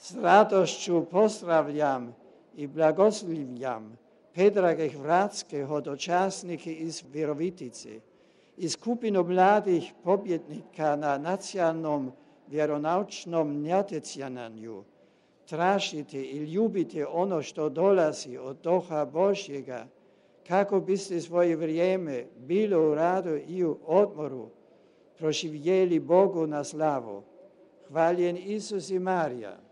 S radošću pozdravljam i blagoslivljam Predraga Vratského, dočasnika iz Virovitice, i skupinu mladih pobjednika na nacionalnom vjeronaučnom natjecanju. Tražite i ljubite ono što dolazi od Duha Božjega, kako biste svoje vrijeme bilo u radu i u odmoru proživjeli Bogu na slavu. Hvaljen Isus i Marija.